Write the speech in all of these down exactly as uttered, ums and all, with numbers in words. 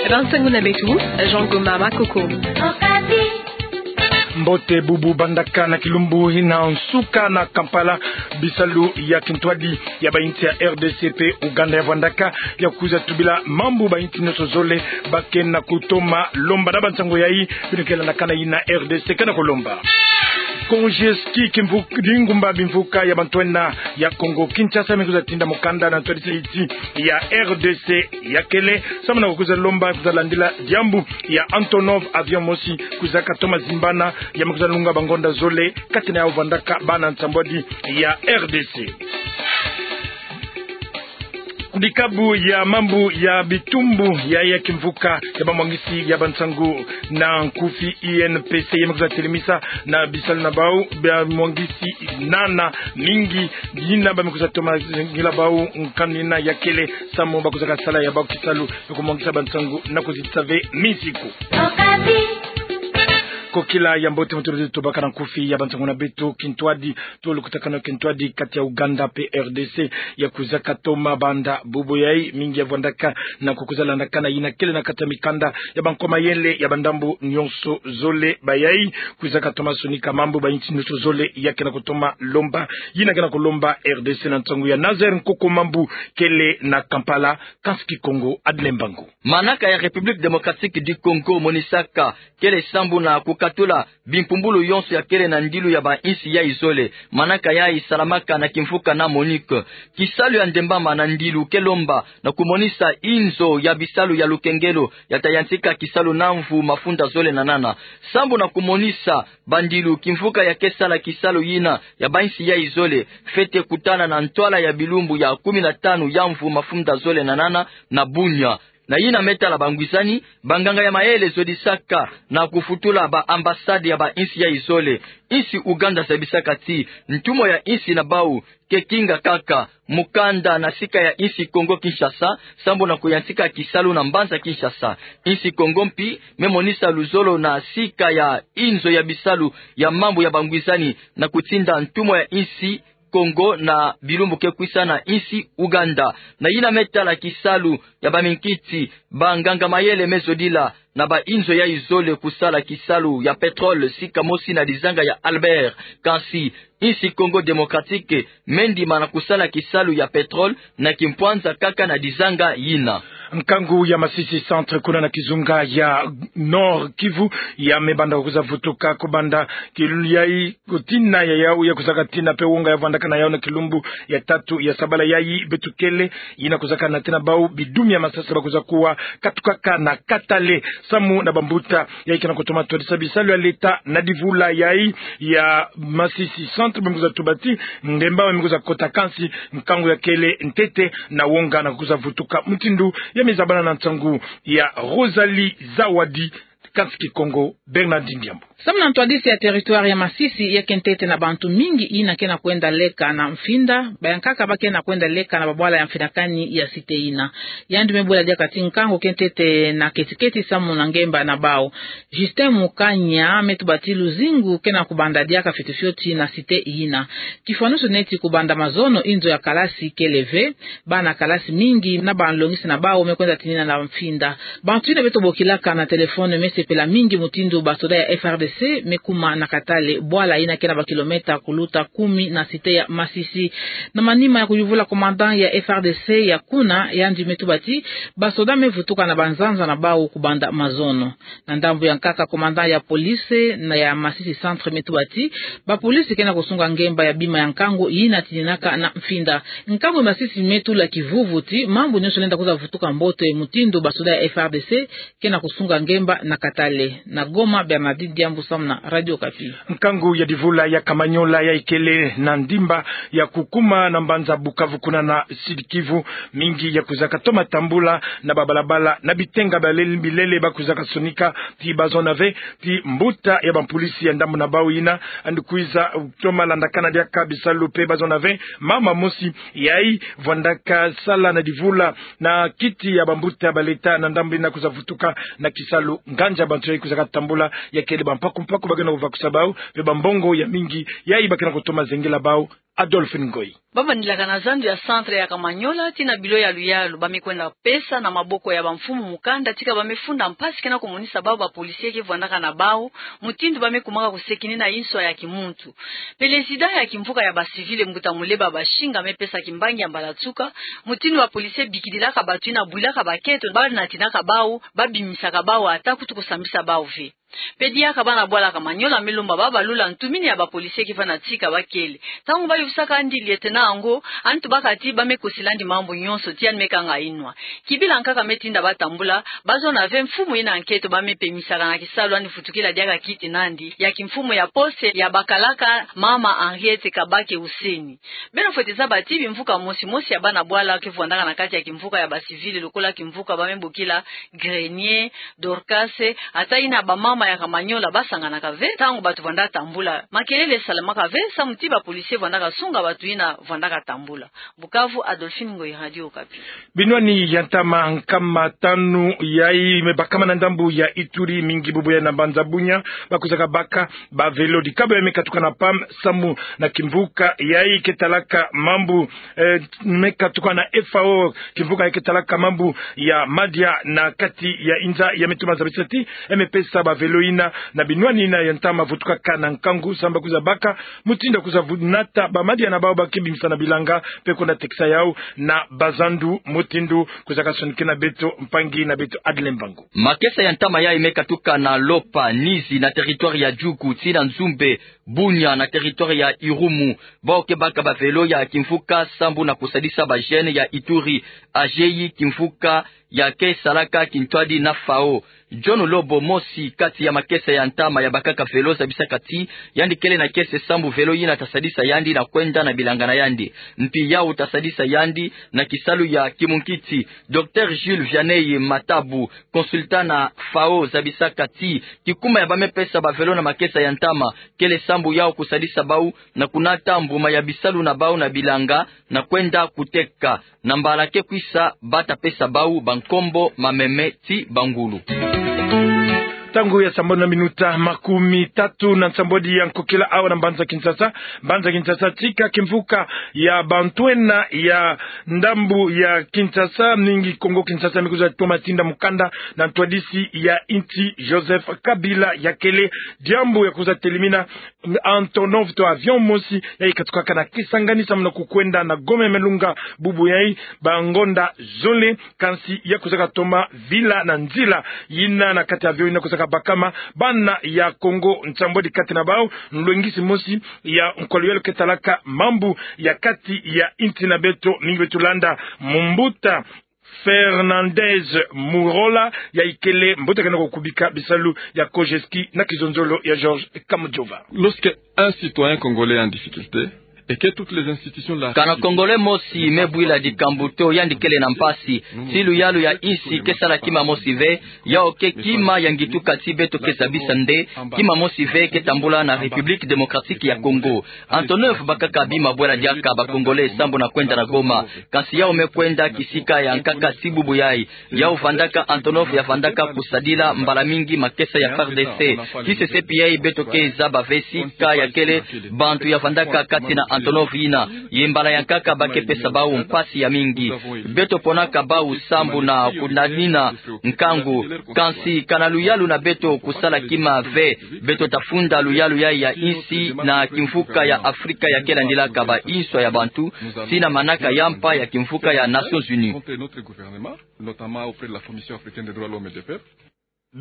Bansangu na beto, Jean Gomba Makoko. Mbote bubu bandaka na kilumbu hina nsuka na Kampala, bisalu ya kintwadi ya ba insi ya R D C pe Ouganda ya vwandaka ya kwiza tubila mambu ba insi nyonso zole ba ke na kutoma lomba. Na bansangu yayi, bino ke landakana yina R D C ke na kulomba. Konje ski kimvu-, dingumba bimvuka ya bantwenya ya Kongo Kinshasa me kwiza tinda mukanda na ntwadisi ya R D C ya kele, samu na kukwiza lomba, kwiza landila diambu ya Antonov, avion mosi kwiza katoma zimbana, ya me kwiza lunga bangonda zole, kati na yawu vwandaka bana nsambwadi ya R D C. Dikabu ya mambu ya bitumbu ya, ya kimvuka ya bamwangisi ya bansangu na nkufi, I N P C, ya me kwiza telemisa na bisalu na bawu bamwangisi nana mingi, yina ba me kwiza toma ngila bawu nkanu yina ya kele, samu ba kwiza kasala ya bawu kisalu, kumwangisa bansangu na kuzitisa ve misiku. Kokila ya mbote, mutulu tubaka na nkufi ya bansangu na beto. Kintwadi, tolo kutakana kintwadi kati ya Ouganda pe R D C ya kwiza katoma banda bubu yayi, mingi ya vwandaka na kukwiza landakana yina kele na kati ya mikanda ya bankwa mayele ya bandambu nyonso zole. Bayayi kwiza katoma sonika mambu ba insi nyonso zole ya ke na kutoma lomba, yina ke na kulomba R D C. Na nsangu ya Nazaire Nkoko, mambu kele na Kampala, Kansi Kikongo Adeline Mbangu. Manaka ya République Démocratique du Congo monisaka kele sambu na kukatula bimpumbulu yonso ya kele na ndilu ya ba insi yayi zole. Manaka yayi salamaka na kimvuka na MONUC. Kisalu ya ndembama na ndilu ke lomba na kumonisa inzo ya bisalu ya lukengelo ya ta yantika kisalu na mvu mafunda zole na nana, sambu na kumonisa bandilu kimvuka ya ke sala kisalu yina ya ba insi yayi zole fwete kutana na ntwala ya bilumbu ya kumi na tanu ya mvu mafunda zole na nana na Bunia. Na yina me tala bangwizani, banganga ya mayele zodisaka na kufutula ba ambassade ya ba insi yayi zole. Insi Ouganda zabisaka ti ntumwa ya insi na bawu ke kinga kaka mukanda na sika ya insi Kongo Kinshasa, sambu na kuyantika kisalu na mbanza Kinshasa. Insi Kongo mpi me monisa luzolo na sika ya inzo ya bisalu ya mambu ya bangwizani na kutinda ntumwa ya insi Kongo na bilumbu ke kwisa na insi Ouganda. Na yina me tala kisalu ya baminkiti, banganga mayele me zodila na ba inzo yayi zole kusala kisalu ya pétrole sika mosi na dizanga ya Albert. Kansi insi Congo Démocratique me ndima na kusala kisalu ya pétrole na kimpwanza kaka na dizanga yina. Nkangu ya Masisi Centre kuna na kizunga ya Nord-Kivu ya me banda kwiza vutuka kubanda kilulu yayi, kutina ya yawu ya kwiza katina pe wonga ya vwandaka na yawu na kilumbu ya tatu ya sabala yayi beto kele, yina kwiza kana tina bawu bidumi ya masasi ba kwiza kuwa katukaka na Katale, samu na bambuta yayi ke na kutoma twadisa bisalu ya leta na divula yayi ya Masisi Centre, ba me kwiza tuba ti ngemba ba me kwiza kota, kansi nkangu ya kele ntete na wonga na kwiza vutuka. Mutindu ya me zabana na nsangu ya Rosalie Zawadi, Kansi Kikongo, Bernardine Diambu. Samu na ntwadisi ya territoire ya Masisi, ya ke ntete na bantu mingi yina ke na kwenda leka na mfinda, bayankaka ba ke na kwenda leka na babwala ya mfinakani ya cité yina. Yandi me bula diaka ti nkangu ke ntete na ketiketi samu na ngemba na bawu. Justin Mukanya me tuba ti luzingu ke na kubanda diaka fioti fioti na cité yina. Kifwanusu neti kubanda mazono, inzo ya kalasi kele ve, bana kalasi mingi na banlongisi na bawu me kwenda tinina na mfinda. Bantu yina beto bokilaka na téléphone me sepela mingi mutindu basoda ya F R D C me kuma na Katale, bwala yina ke na bakilomètre kuluta kumi na cité ya Masisi. Na manima ya kuyuvula commandant ya F R D C ya kuna, yandi me tuba ti basoda me vutuka na banzanza na bawu kubanda mazono. Na ndambu ya nkaka, commandant ya police na ya Masisi Centre me tuba ti bapolisi ke na kusunga ngemba ya bima ya nkangu yina tininaka na mfinda. Nkangu ya Masisi me tula kivuvu ti mambu nyonso lenda kwiza vutuka mbote mutindu basoda ya F R D C ke na kusunga ngemba na Katale. Na Goma, Bernardine Diambu samu na Radio Okapi. Nkangu ya divula ya Kamanyola yayi kele na ndimba ya kukuma na mbanza Bukavu kuna na Sud-Kivu, mingi ya kwiza katoma tambula na babalabala na bitenga bilele, bilele ba kwiza kasonika ti ba zona ve ti mbuta ya bapolisi ya ndambu na bawu yina yandi kwiza toma landakana diaka bisalu pe ba zona ve mama mosi yayi vwandaka sala na divula na kiti ya bambuta ba leta na ndambu yina kwiza vutuka na kisalu. Nganzi ya bantu yayi kwiza katambula ya kele ba mpaku mpaku ba ke na kuvakusa bau, mpe bambongo ya mingi, yayi ba ke na kutoma zengela bau. Adolphine Ngoyi. Ba vandilaka na zandu ya centre ya Kamanyola, tii na bilo ya luyalu, ba me kwenda pesa na maboko ya bamfumu mukanda, tika ba me funda mpasi ke na kumonisa bau ba policier ke vwandaka na bau, mutindu ba me kumaka kusekinina inswa ya kimuntu. Pelezida ya kimvuka ya ba civil, mbuta Muleba Bashinga, me pesa kimbangi ya mbala nsuka, mutindu ba policier bikidilaka batu yina bwilaka baketo, ba natinaka bau, ba bimisaka bau, ata kutu kusambisa bau ve. Mpe diaka bana bwala Kamanyola me lomba ba balula ntumini ya ba policier ke vanda tika ba kele. Ntangu ba yufisaka yandi lieutenant yango, yandi tubaka ti ba me kosila yandi mambu nyonso, tii yandi me kanga inwa. Kibila nkaka me tinda ba tambula, ba zona ve mfumu yina nkento ba me pemisaka na kisalu yandi vutukila diaka kiti na yandi, ya kimfumu ya poste ya bakalaka, mama Henriette Kabake Huseni. Beno fwete zaba ti bimvuka mosi mosi ya bana bwala ke vwandaka na kati ya kimvuka ya ba civil, lokola kimvuka ba me bokila Grenier, Dorcas, ata yina bamama ya Kamanyola ba sanganaka ve ntangu batu vwanda tambula. Makelele salamaka ve, samu ti ba policier vwandaka sunga batu yina vwandaka tambula. Bukavu, Adolphine Ngoyi, Radio Okapi. Binwani ya ntama nkama tanu yayi me bakama na ndambu ya Ituri, mingi bubu yayi na mbanza Bunia, ba kwizaka baka ba velo. Dikabo yayi me katuka na P A M, samu na kimvuka yayi ke talaka mambu, eh, me katuka na F A O, kimvuka yayi ke talaka mambu ya madia na kati ya inza, ya me toma zabisa ti ya me pesa ba velo yina na binwani yina ya ntama vutukaka na nkangu, samu ba kwiza baka mutindu ya kwiza vu-, nata ba madia na bau ba ke bimisa na bilanga, mpe kwenda tekisa yau na bazandu, mutindu kwizaka sonikena beto mpangi na beto Adle Mbangu. Makesa ya ntama yayi me katuka na Lopa, Nizi na territoire ya Djugu, tii na Nzumbe, Bunia na territoire ya Irumu. Bau ke baka ba velo ya kimvuka sambu na kusadisa ba jeunes ya Ituri, ajeyi kimvuka ya ke salaka kintwadi na F A O. John Lobo, mosi kati ya makesa ya ntama ya bakaka velo, zabisaka ti yandi kele na kiese sambu velo yina ta sadisa yandi na kwenda na bilanga na yandi. Mpi yau ta sadisa yandi na kisalu ya kimunkiti. Docteur Jules Vianney Matabu, consultant na F A O, zabisaka ti kikuma ya ba me pesa ba velo na makesa ya ntama kele sambu yau kusadisa bau na kunata mbuma ya bisalu na bau na bilanga na kwenda kuteka. Na mbala ke kwisa, ba ta pesa bau bankombo, mameme ti bangulu. Ntangu ya sambanu na minuta makumi tatu na nsambwadi ya nkokila awa na mbanza Kinshasa. Mbanza Kinshasa tika kimvuka ya bantwenia ya ndambu ya Kinshasa, mingi Kongo Kinshasa, me kwiza toma tinda mukanda na ntwadisi ya insi Joseph Kabila, ya kele diambu ya kwiza telimina Antonov to avion mosi yayi katukaka na Kisangani samu na kukwenda na Goma ya Malunga bubu yayi bangonda zole, kansi ya kwizaka toma vila na nzila yina na kati ya avion yina kwizaka bakama bana ya Kongo nsambwadi kati na bau nlwengisi mosi ya nkwa luyalu ke talaka mambu ya kati ya insi na beto, mingi beto landa mumbuta Fernandez Murola, yayi kele mbuta ke na kukubika bisalu ya COGESKI na kizonzolo ya Georges Kamujova. Lorsque un citoyen congolais est en difficulté et que toutes les institutions de la République... Kana Congolais mosi me bwila dikambu to yandi kele na mpasi, ti luyalu ya insi ke sala kima mosi ve, yau ke kima ya ngituka ti beto ke zabisa nde kima mosi ve ke tambula na République Démocratique ya Congo. Antonov bakaka bima bwela diaka ba Congolais sambu na kwenda na Goma. Kansi yau me kwenda kisika ya nkaka ti bubu yayi. Yau vandaka Antonov ya vandaka kusadila mbala mingi makesa ya FARDC. Ti sesepi yayi beto ke zaba ve sika ya kele bantu ya vandaka kati na Antonov yina. Ye mbala ya nkaka ba ke pesa bau mpasi ya mingi. Beto ponaka bau sambu na kunanina nkangu. Kansi kana luyalu na beto kusala kima ve. Beto ta funda luyalu yayi ya insi na kimvuka ya Afrika ya ke landilaka ba inswa ya bantu, tii na manaka ya mpa ya kimvuka ya Nations Unies.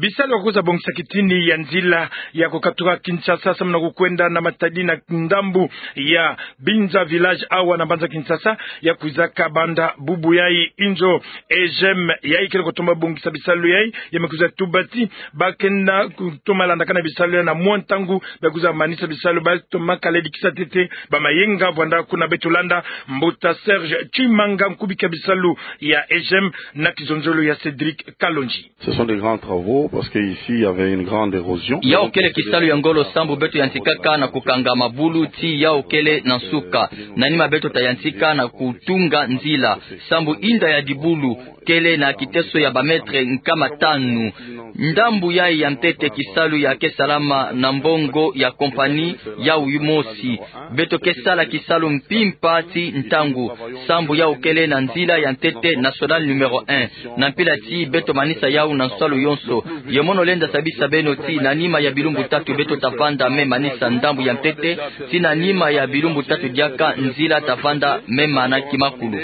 Bisalu ya kwiza bongisa kitini ya nzila ya kukatuka Kinshasa samu na kukwenda na Matadi na ndambu ya Binza Village awa na mbanza Kinshasa, ya kwizaka banda bubu yayi. Inzo EGEM yayi kele kutoma bongisa bisalu yayi, ya me kwiza tuba ti ba kenda kutoma landakana bisalu yayi na mwa ntangu ba kwiza manisa bisalu, ba toma kala dikisa ntete ba mayenga. Vwanda kuna beto landa mbuta Serge Tshimanga, nkubiki ya bisalu ya EGEM na kizonzolo ya Cédric Kalonji. Ce sont des grands travaux parce que ici il y avait une grande érosion. Yau kele kisalu ya ngolo sambu beto yantikaka na kukanga mabulu tii yau kele na nsuka. Na nima beto ta yantika na kutunga nzila sambu inda ya dibulu kele na kiteso ya ba mètre nkama tanu. Ndambu yayi ya ntete kisalu ya ke salama na mbongo ya compagnie yayi mosi. Beto ke sala kisalu mpimpa ti ntangu, sambu yayi kele na nzila ya ntete national numéro un. Na mpila ti beto manisa yayi na nsalu yonso. Ye mono lenda sabisa beno ti na nima ya bilumbu tatu beto ta vanda me manisa ndambu ya ntete, ti na nima ya bilumbu tatu diaka nzila ta vanda me mana kimakulu.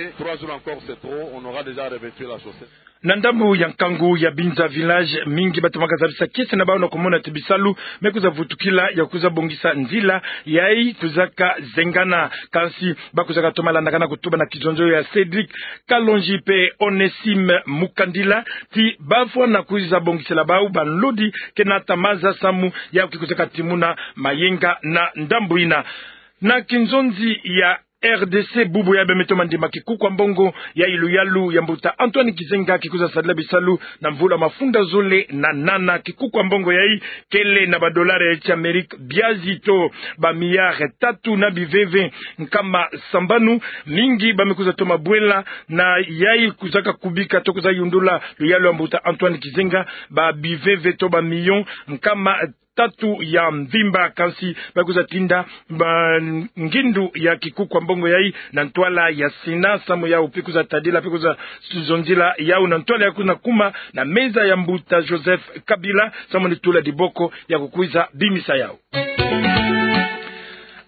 Na ndambu ya nkangu ya Binza village, mingi batomaka zabisa kiese na bawu na kumona ti bisalu me kwiza vutukila ya kwiza bongisa nzila yayi kwizaka zengana. Kansi bakwizaka toma landakana kutuba na kizonzolo ya Cédric Kalonji pe Onésime Mukandila ti bafwana kwiza bongisela bawu banlodi ke nata maza samu yawu ke kwizaka timuna mayenga na ndambu yina. Na kinzonzi ya R D C, bubu yayi bametomo ndima kikuku ya mbongo yayi luyalu ya mbuta Antoine Gizenga ke kwiza sadila bisalu na mvula mafunda zole na nana. Kikuku ya mbongo yayi kele na ba dollars ya ti Amérique biazi to ba milliards tatu na biveve nkama sambanu. Mingi bame kwiza toma bwela na yayi kwizaka kubika to kwiza yundula luyalu ya mbuta Antoine Gizenga, ba biveve to ba millions nkama tatu ya mvimba. Kansi bakwiza tinda ba ngindu ya kikuku ya mbongo yayi na ntwala ya Sénat samu yawu pe kwiza tadila pe kwiza zonzila yawu na ntwala ya kwiza kuma na meza ya mbuta Joseph Kabila samu ni tula diboko ya kukwiza bimisa yawu.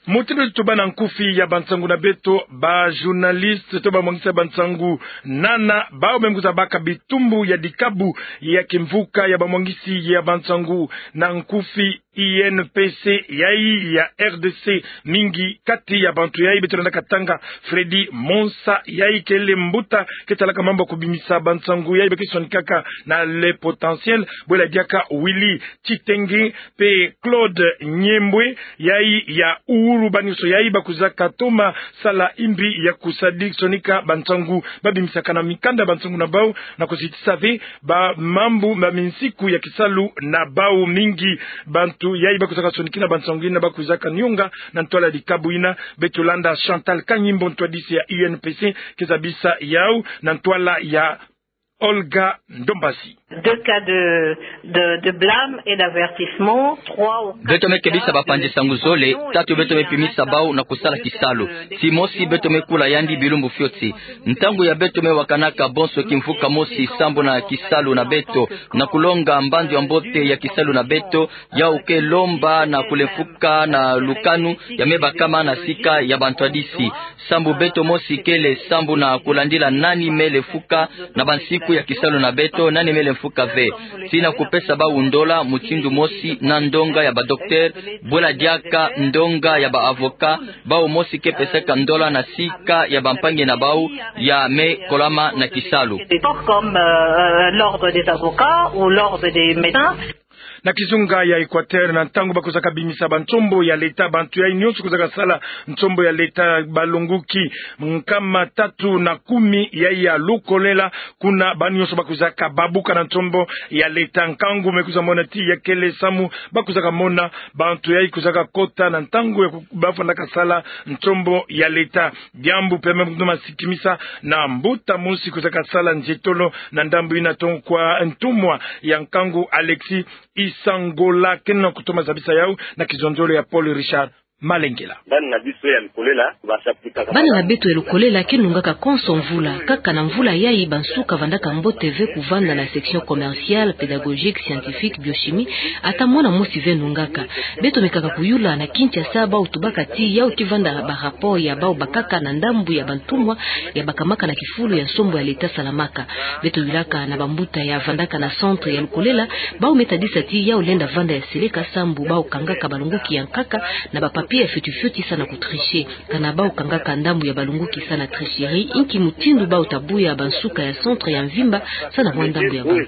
Mutindu ti tubana nkufi ya bansangu na beto, ba journalistes to bamwangisi ya bansangu nana, bawu me kwiza baka bitumbu ya dikabu ya kimvuka ya bamwangisi ya bansangu na nkufi I N P C yayi ya R D C. Mingi kati ya bantu yayi beto landaka tanga Freddy Monsa, yayi kele mbuta ke talaka mambu ya kubimisa bansangu yayi bake sonikaka na Le Potentiel, bwela diaka Willy Tshitenge pe Claude Nyembwe, yayi ya Uhuru. Ba nyonso yayi bakwizaka toma sala imbi ya kusadiki sonika bansangu babimisaka na mikanda bansangu na bawu na kusitisa ve ba mambu ma minsiku ya kisalu na bawu. Mingi bantu yayi bakwizaka sonikina bansangu yina bakwizaka nionga na ntwala dikabu yina. Beto landa Chantal Kanyimbo, ntwadisi ya U N P C, ke zabisa yawu na ntwala ya Olga Ndombasi. Deux cas de, de, de blâme et d'avertissement. Trois ou quatre... Beto me kebisa bapanzi sangu zole, tatu beto me pimisa bawu na kusala kisalu. Ti mosi beto me kula yandi bilumbu fioti. Ntangu ya beto me wakanaka bonso kimvuka mosi sambu na kisalu na beto, na kulonga mbandu ya mbote ya kisalu na beto, yawu ke lomba na kulemfuka na lukanu ya me bakama na sika ya bantwadisi. Sambu beto mosi kele sambu na kulandila nani me lemfuka na bansiku ya kisalu na beto, nani me lemfuka ve. Ti na kupesa bawu ndola mutindu mosi na ndonga ya ba docteur, bwela diaka ndonga ya ba avocat, bawu mosi ke pesaka ndola na sika ya bampangi na bawu ya me kolama na kisalu. Des corps comme, euh, l'ordre des avocats ou l'ordre des médecins. Na kizunga ya Équateur, na ntangu bakwizaka bimisa bansombo ya leta, bantu yayi nyonso kwizaka sala nsombo ya leta, balonguki nkama tatu na kumi yayi ya lukolela, kuna bawu nyonso bakwizaka babuka na nsombo ya leta. Nkangu me kwiza mona ti ya kele samu bakwizaka mona bantu yayi kwizaka kota na ntangu ya ku-, bafwanaka sala nsombo ya leta. Diambu pe me kutuma sikimisa na mbuta mosi kwizaka sala nzietolo na ndambu yina, toko kwa ntumwa ya nkangu Alexis Isangola, ke na kutoma zabisa yawu na kizonzolo ya Paul Richard Malengela. Bana na biso ya lukolela, basaputaka... Bana na beto ya lukolela ke nungaka konso mvula. Kaka na mvula yayi, bansuka vandaka mbote ve kuvanda na section commerciale, pédagogique, scientifique, biochimie, ata mwana mosi ve nungaka. Beto mekaka kuyula na Kinshasa, bawu tubaka ti yawu ke vanda ba rapport ya bawu bakaka na ndambu ya bantumwa ya bakamaka na kifulu ya nsombo ya leta salamaka. Beto yulaka na bambuta ya vandaka na centre ya lukolela, bawu me tadisa ti yawu lenda vanda ya seleka sambu bawu kangaka balonguki ya nkaka na ba papier ya fioti fioti samu na kutricher. Kana bawu kangaka ndambu ya balonguki samu na tricherie, inki mutindu bawu ta buya bansuka ya centre ya mvimba samu na bwa ndambu ya bawu?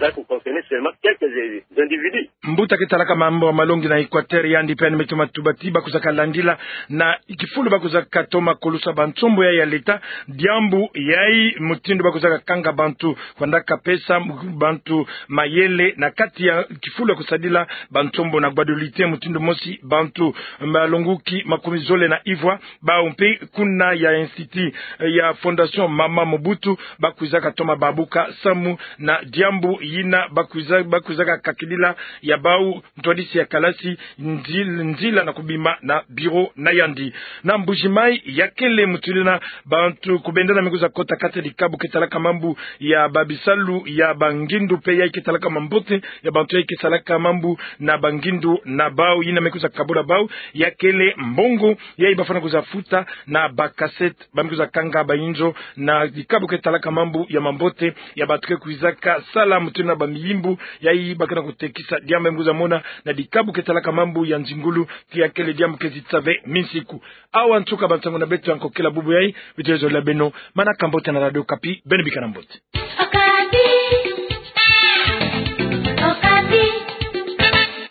Seulement quelques individus. Mbuta ke talaka mambu ya malongi na Equateur, yandi pe yandi me toma tuba ti ba kwizaka landila na kifulu ba kwizaka toma kulusa bansombo ya, ya leta, diambu yayi mutindu ba kwizaka kanga bantu, kwanda kapesa bantu mayele na kati ya kifulu ya kusadila bansombo na Guadeloupe, mutindu mosi bantu malonguki makumi zole na ivwa, bawu mpe kuna ya institut, eh, ya Fondation Mama Mobutu, ba kwizaka toma babuka samu na diambu yina ba kwiza, ba kwizaka kakidila ya bawu ntwadisi ya kalasi, nzil-, nzila na kubima na bureau na yandi. Na Mbuji-Mayi, ya kele mutindu yina bantu kubendana me kwiza kota kati ya dikabu ke talaka mambu ya babisalu ya bangindu mpe yayi ke talaka mambote ya bantu yayi ke salaka mambu na bangindu na bawu, yina me kwiza kabula bawu, ya kele mbongo yayi ba fwana kwiza futa na ba cassette ba me kwiza kanga bayinzo na dikabu ke talaka mambu ya mambote ya bantu ke kwizaka sala mutindu yina bamiyimbu yayi ba ke na kutekisa. Diambu me kwiza mona na dikabu ke talaka mambu ya nzingulu, ti ya kele diambu ke zitisa ve minsiku. Awa nsuka bansangu na beto ya nkokela bubu yayi. Beto ke zola beno manaka mbote na Radio Okapi, beno bika na mbote.